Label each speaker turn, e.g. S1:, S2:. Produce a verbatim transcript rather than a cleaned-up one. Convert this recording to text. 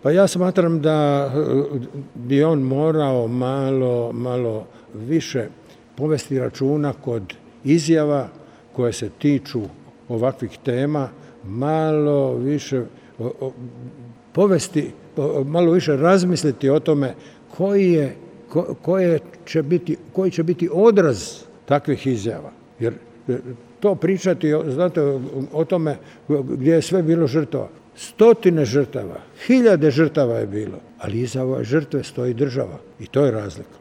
S1: Pa ja smatram da bi on morao malo, malo više povesti računa kod izjava koje se tiču ovakvih tema, malo više povesti, malo više razmisliti o tome koji je, ko, koje će biti, koji će biti odraz takvih izjava. Jer to pričati, znate, o tome gdje je sve bilo žrtava. Stotine žrtava, hiljade žrtava je bilo, ali iza ove žrtve stoji država i to je razlika.